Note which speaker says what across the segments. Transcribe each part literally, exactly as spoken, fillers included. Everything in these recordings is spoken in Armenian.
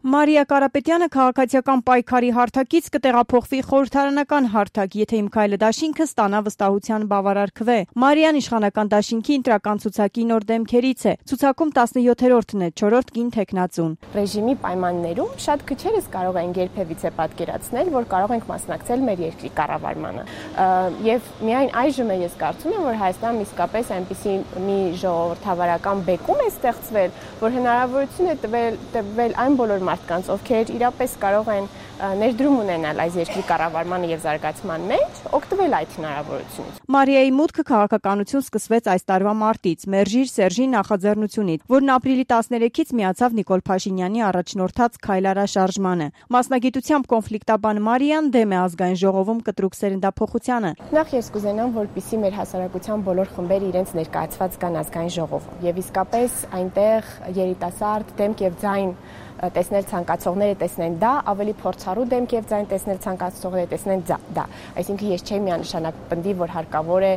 Speaker 1: Մարիա Կարապետյանը քաղաքացիական պայքարի հարթակից կտեղափոխվի խորհրդարանական հարթակ, եթե իմ քայլը դաշինքը ստանա վստահության բավարար քվե։ Մարիան իշխանական դաշինքի ընտրական ցուցակի նոր դեմքերից է։ Ցուցակում տասնյոթերորդն է, չորրորդ կին թեկնածուն։
Speaker 2: Ռեժիմի պայմաններում շատ քչերս կարող են երբևիցե պատկերացնել, որ կարող ենք մասնակցել մեր երկրի կառավարմանը։ Եվ միայն այժմ է ես կարծում եմ, որ Հայաստանում իսկապես այնպիսի մի ժողովրդավարական բեկում է ստեղծվել, որ հնարավորություն է տվել տվել այն բոլոր մարդկանց, ովքեր իրապես կարող են ներդրում ունենալ այս երկրի կառավարմանը եւ զարգացման մեջ, օգտվել այդ հնարավորությունից։
Speaker 1: Մարիայի մուտքը քաղաքականություն սկսվեց այս տարվա մարտից, Մերժիր Սերժի նախաձեռնությունից, որն ապրիլի տասներեքից միացավ Նիկոլ Փաշինյանի առաջնորդած Քայլարա շարժմանը։ Մասնագիտությամբ կոնֆլիկտաբան Մարիան դեմ է ազգային ժողովում կտրուկ սերնդափոխությանը։
Speaker 2: Նախ ես կուզենամ, որպեսզի մեր հասարակության բոլոր խմբերը իրենց ներկայացված կան ազգային ժողովում եւ իսկապես այնտեղ երիտասարդ դեմք եւ ձայն տեսնել ցանկացողները տեսնեն դա, ավելի փորձառու դեմք եւ ձայն տեսնել ցանկացողները տեսնեն դա։ Այսինքն ես չեմ միանշանակ պնդի, որ հարկավոր է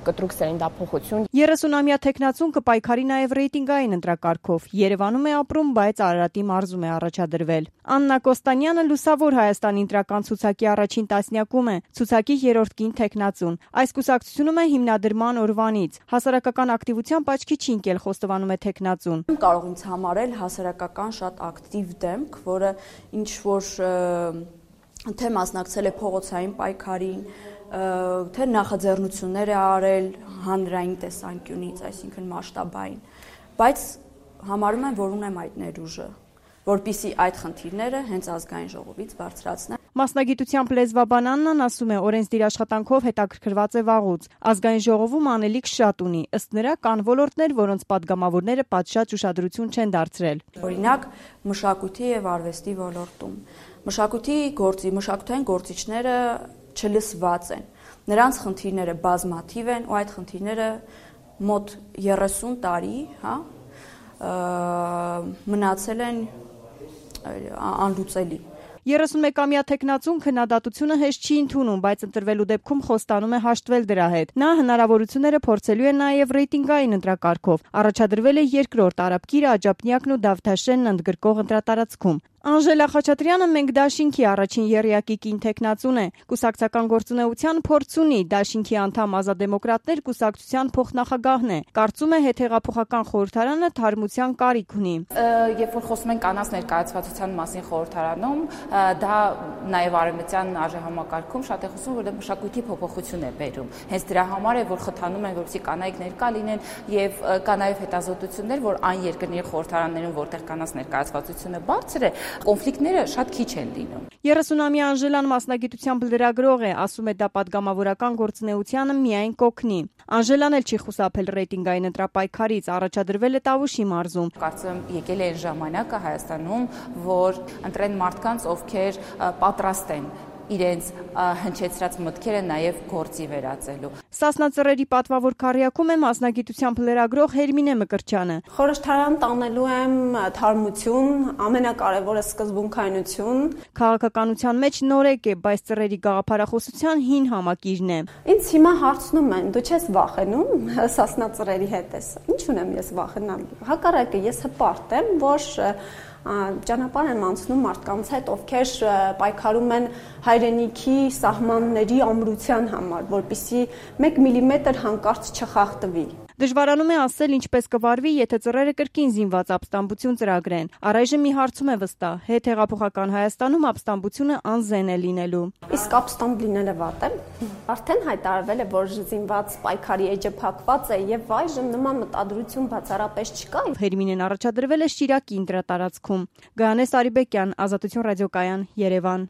Speaker 2: կտրուկ սերնդափոխություն։
Speaker 1: երեսունամյա թեկնածուն կպայքարի նաեւ ռեյտինգային ընտրակարգով։ Երևանում է ապրում, բայց Արարատի մարզում է առաջադրվել։ Աննա Կոստանյանը լուսավոր Հայաստանի ընտրական ցուցակի առաջին տասնյակում է, ցուցակի երրորդ կին թեկնածուն։ Այս կուսակցությունում է հիմնադրման օրվանից։ Հասարակական ակտիվությամբ աչքի չի ընկել, խոստովանում է թեկնածուն։
Speaker 3: Կարող ինձ համարել հասարակական շատ ակտիվ դեմք, որը ինչ որ թե մասնակցել է փողոցային պայքարին, թե նախաձեռնություններ է արել հանրային տեսանկյունից, այսինքն մասշտաբային, բայց համարում եմ, որ ունեմ այդ ներուժը, որպեսզի այդ խնդիրները հենց ազգային ժողովից բարձրացնեմ։
Speaker 1: Մասնագիտությամբ լեզվաբան Աննան ասում է, օրենսդիր աշխատանքով հետաքրքրված է վաղուց։ Ազգային ժողովում անելիք շատ ունի, ըստ նրա կան ոլորտներ, որոնց падգամավորները պատշաճ ուշադրություն չեն դարձրել։
Speaker 3: Օրինակ, մշակույթի եւ արվեստի ոլորտում։ Մշակույթի գործի, մշակութային գործիչները չլսված են։ Նրանց խնդիրները բազմաթիվ են ու այդ խնդիրները մոտ երեսուն տարի, հա, մնացել են անլուծելի։
Speaker 1: երեսունմեկամյա թեկնածուն քննադատությունը հեշտ չի ընդունում, բայց ընտրվելու դեպքում խոստանում է հաշտվել դրա հետ։ Նա հնարավորությունները փորձելու է նաև ռեյտինգային ընտրակարգով։ Առաջադրվել է երկրորդ Արաբկիրը, Աջափնյակն ու Դավթաշենն ընդգրկող ընտրատարածքում։ Անժելա Խաչատրյանը մենք դաշինքի առաջին եռյակի կին թեկնածուն է։ Կուսակցական գործունեության փորձ ունի, դաշինքի անդամ Ազատդեմոկրատներ կուսակցության փոխնախագահն է։ Կարծում է հետհեղափոխական խորհրդարանը թարմության կարիք ունի։
Speaker 4: Երբ որ խոսում ենք կանանց ներկայացվածության մասին խորհրդարանում, դա նաև արևմտյան արժեհամակարգում շատ է խոսում, որ դա մշակույթի փոփոխություն է բերում։ Հենց դրա համար է, որ խթանում են, որպեսզի կանայք ներկա լինեն եւ կա նաև հետազոտություններ, որ այն երկրների խորհրդարաններում, որտեղ կանանց ներկայացվածությունը բարձր է, կոնֆլիկտները շատ քիչ են լինում։
Speaker 1: երեսունամյա Անժելան մասնագիտությամբ լրագրող է, ասում է դա падգամավորական գործունեությանը միայն կօգնի։ Անժելան էլ չի խուսափել ռեյտինգային ընտրապայքարից, առաջադրվել է Տավուշի մարզում։
Speaker 4: Կարծում եմ եկել է այն ժամանակը Հայաստանում, որ ընտրեն մարդկանց, ովքեր պատրաստ են իրենց հնչեցրած մտքերը նաև գործի վերածելու։
Speaker 1: Սասնա Ծռերի պատվավոր քառյակում է մասնագիտությամբ լրագրող Հերմինե Մկրտչյանը։
Speaker 5: Խորհրդարան տանելու եմ թարմություն, ամենակարևորը սկզբունքայնություն։
Speaker 1: Քաղաքականության մեջ նորեկ է, բայց Ծռերի գաղափարախոսության հին համակիրն է։
Speaker 5: Ինձ հիմա հարցնում են, դու չես վախենում Սասնա Ծռերի հետ ես։ Ինչ ունեմ ես վախենալ։ Հակառակը ես հպարտ եմ, որ ճանապարհ եմ անցնում մարդկանց հետ, ովքեր պայքարում են հայրենիքի սահմանների ամրության համար, որպեսզի մեկ միլիմետր հանկարծ չխախտվի։
Speaker 1: Դժվարանում է ասել ինչպես կվարվի, եթե Ծռերը կրկին զինված ապստամբություն ծրագրեն։ Առայժմ մի հարցում է վստահ, հետհեղափոխական Հայաստանում ապստամբությունը անզեն է լինելու։
Speaker 5: Իսկ ապստամբ լինելը վատ է։ Արդեն հայտարարվել է, որ զինված պայքարի էջը փակված է եւ այժմ նման մտադրություն բացառապես չկա։
Speaker 1: Հերմինեն առաջադրվել է Շիրակի ընտրատարածքում։ Գայանե Սարիբեկյան, Ազատություն ռադիոկայան, Երևան։